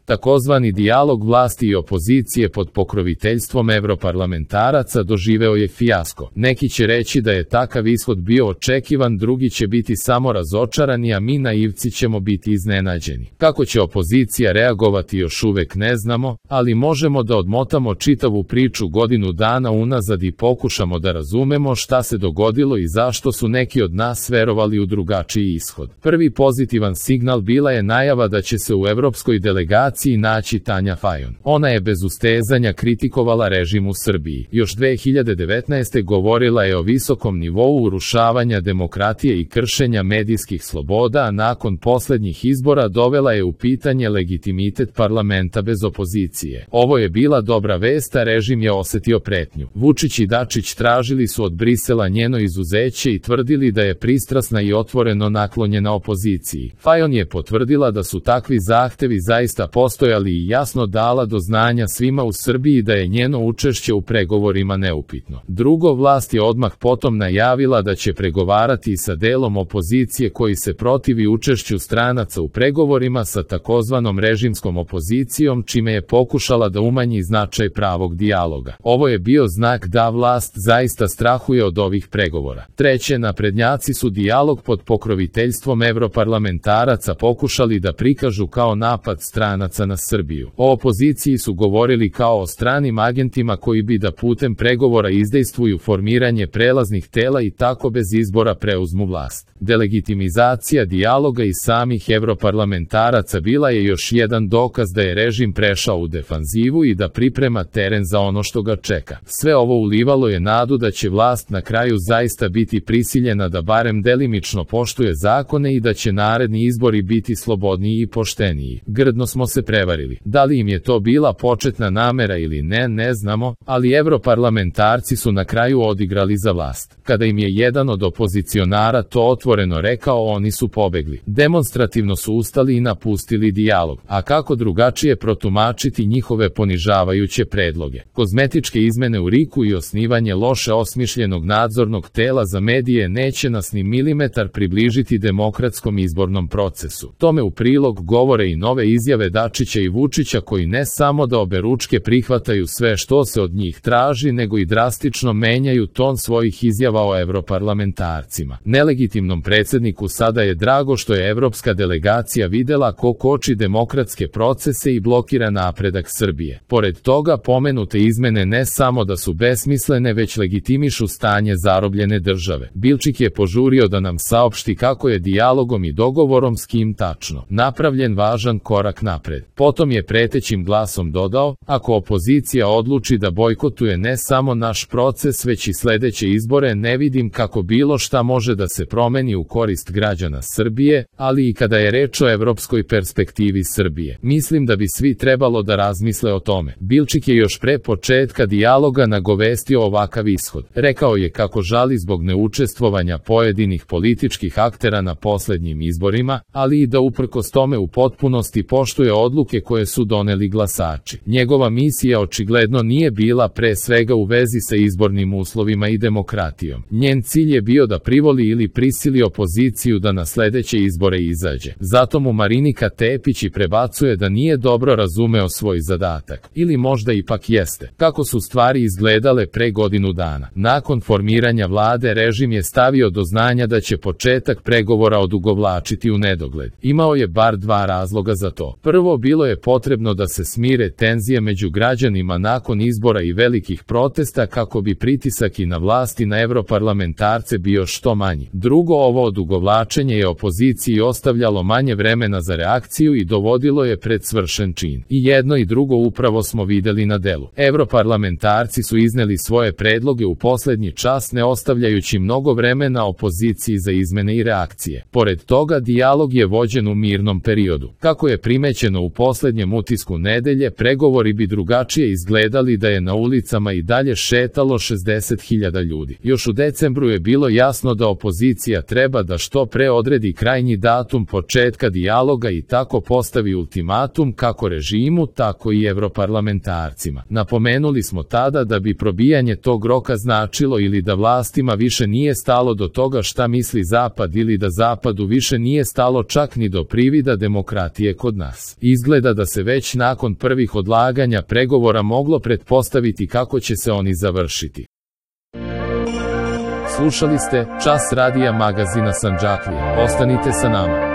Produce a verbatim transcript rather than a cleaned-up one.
Takozvani dijalog vlasti i opozicije pod pokroviteljstvom evroparlamentaraca doživeo je fijasko. Neki će reći da je takav ishod bio očekivan, drugi će biti samo razočarani, a mi naivci ćemo biti iznenađeni. Kako će opozicija reagovati još uvek ne znamo, ali možemo da odmotamo čitavu priču godinu dana unazad i pokušamo da razumemo šta se dogodilo i zašto su neki od nas verovali u drugačiji ishod. Prvi pozitivan signal bila je najava da će se u evropskoj delegaciji naći Tanja Fajon. Ona je bez ustezanja kritikovala režim u Srbiji. Još dve hiljade devetnaeste. govorila je o visokom nivou urušavanja demokratije i kršenja medijskih sloboda, a nakon poslednjih izbora dovela je u pitanje legitimitet parlamenta bez opozicije. Ovo je bila dobra vest, a režim je osetio pretnju. Vučić i Dačić tražili su od Brisela njeno izuzeće i tvrdili da je pristrasna i otvoreno naklonjena opoziciji. Fajon je potvrdila da su takvi zahtevi zaista postojali i jasno dala do znanja svima u Srbiji da je njeno učešće u pregovorima neupitno. Drugo, vlast je odmah potom najavila da će pregovarati i sa delom opozicije koji se protivi učešću stranaca u pregovorima sa takozvanom režimskom opozicijom, čime je pokušala da umanji značaj pravog dijaloga. Ovo je bio znak da vlast zaista strahuje od ovih pregovora. Treće, naprednjaci su dijalog pod pokroviteljstvom evroparlamentaraca pokušali da prikažu kao napad stranaca na Srbiju. O opoziciji su govorili kao o stranim agentima koji bi da putem pregovora izdejstvuju formiranje prelaznih tela i tako bez izbora preuzmu vlast. Delegitimizacija dijaloga i samih evroparlamentaraca bila je još jedan dokaz da je režim prešao u defanzivu i da priprema teren za ono što ga čeka. Sve ovo ulivalo je nadu da će vlast na kraju zaista biti prisiljena da barem delimično poštuje zakone i da će naredni izbori biti slobodniji i pošteniji. Grdno smo se prevarili. Da li im je to bila početna namera ili ne, ne znamo, ali evroparlamentarci su na kraju odigrali za vlast. Kada im je jedan od opozicionara to otvoreno rekao, oni su pobegli. Demonstrativno su ustali i napustili dijalog. A kako drugačije protumačiti njihove ponižavajuće predloge? Kozmetičke izmene u riku i osnivanje loše osmišljenog nadzornog tela za medije neće nas ni milimetar približiti demokratskom izbornom procesu. Tome u prilog govore i nove izjave Dačića i Vučića koji ne samo da oberučke prihvataju sve što se od njih traži, nego i drastično menjaju ton svojih izjava o evroparlamentarcima. Nelegitimnom predsjedniku sada je drago što je evropska delegacija videla ko koči demokratske procese i blokira napredak Srbije. Pored toga, pomenute izmene ne samo da su besmislene, već legitimišu stanje zarobljene države. Bilčik je požurio da nam saopšti kako je dijalogom i dogovorom s kim tačno napravljen važan korak napred. Potom je pretećim glasom dodao, ako opozicija odluči da bojkotuje ne samo naš proces već i sledeće izbore, ne vidim kako bilo šta može da se promeni u korist građana Srbije, ali i kada je reč o evropskoj perspektivi Srbije. Mislim da bi svi trebalo da razmisle o tome. Bilčik je još pre početka dijaloga nagovestio ovakav ishod. Rekao je kako žali zbog neučestvovanja pojedinih političkih aktera na poslednjim izborima, ali i da uprkos tome u potpunosti poštuje odluke koje su doneli glasači. Njegova misija očigledno nije bila pre svega u vezi sa izbornim uslovima i demokratijom. Njen cilj je bio da privoli ili prisili opoziciju da na sledeće izbore izađe. Zato mu Marinika Tepić i prebacuje da nije dobro razumeo svoj zadatak. Ili možda ipak jeste. Kako su stvari izgledale pre godinu dana? Nakon formiranja vlade režim je stavio do znanja da će početak pregovora odugovlačiti u nedogled. Imao je bar dva razloga za to. Prvo, bilo je potrebno da se smire tenzije među građanima nakon izbora i velikih protesta kako bi pritisak i na vlasti na evroparlamentarce bio što manji. Drugo, ovo odugovlačenje je opoziciji ostavljalo manje vremena za reakciju i dovodilo je pred svršen čin. I jedno i drugo upravo smo videli na delu. Evroparlamentarci su izneli svoje predloge u poslednji čas, ne ostavljajući mnogo vremena opoziciji za izmene i reakcije. Pored toga, dijalog je vođen u mirnom periodu. Kako je primećeno u poslednjem utisku nedelje, pregovori bi drugačije izgledali da je na ulicama i dalje šetalo šezdeset hiljada ljudi. Još u decembru je bilo jasno da opozicija treba da što pre odredi krajnji datum početka dijaloga i tako postavi ultimatum kako režimu, tako i evroparlamentarcima. Napomenuli smo tada da bi probijanje tog roka značilo ili da vlastima više nije stalo do toga šta misli Zapad ili da Zapadu više nije stalo čak ni do privida demokratije kod nas. izgleda da se već nakon prvih odlaganja pregovora moglo pretpostaviti kako će se oni završiti. Slušali ste Čas radija magazina Sandžaklija. Ostanite sa nama.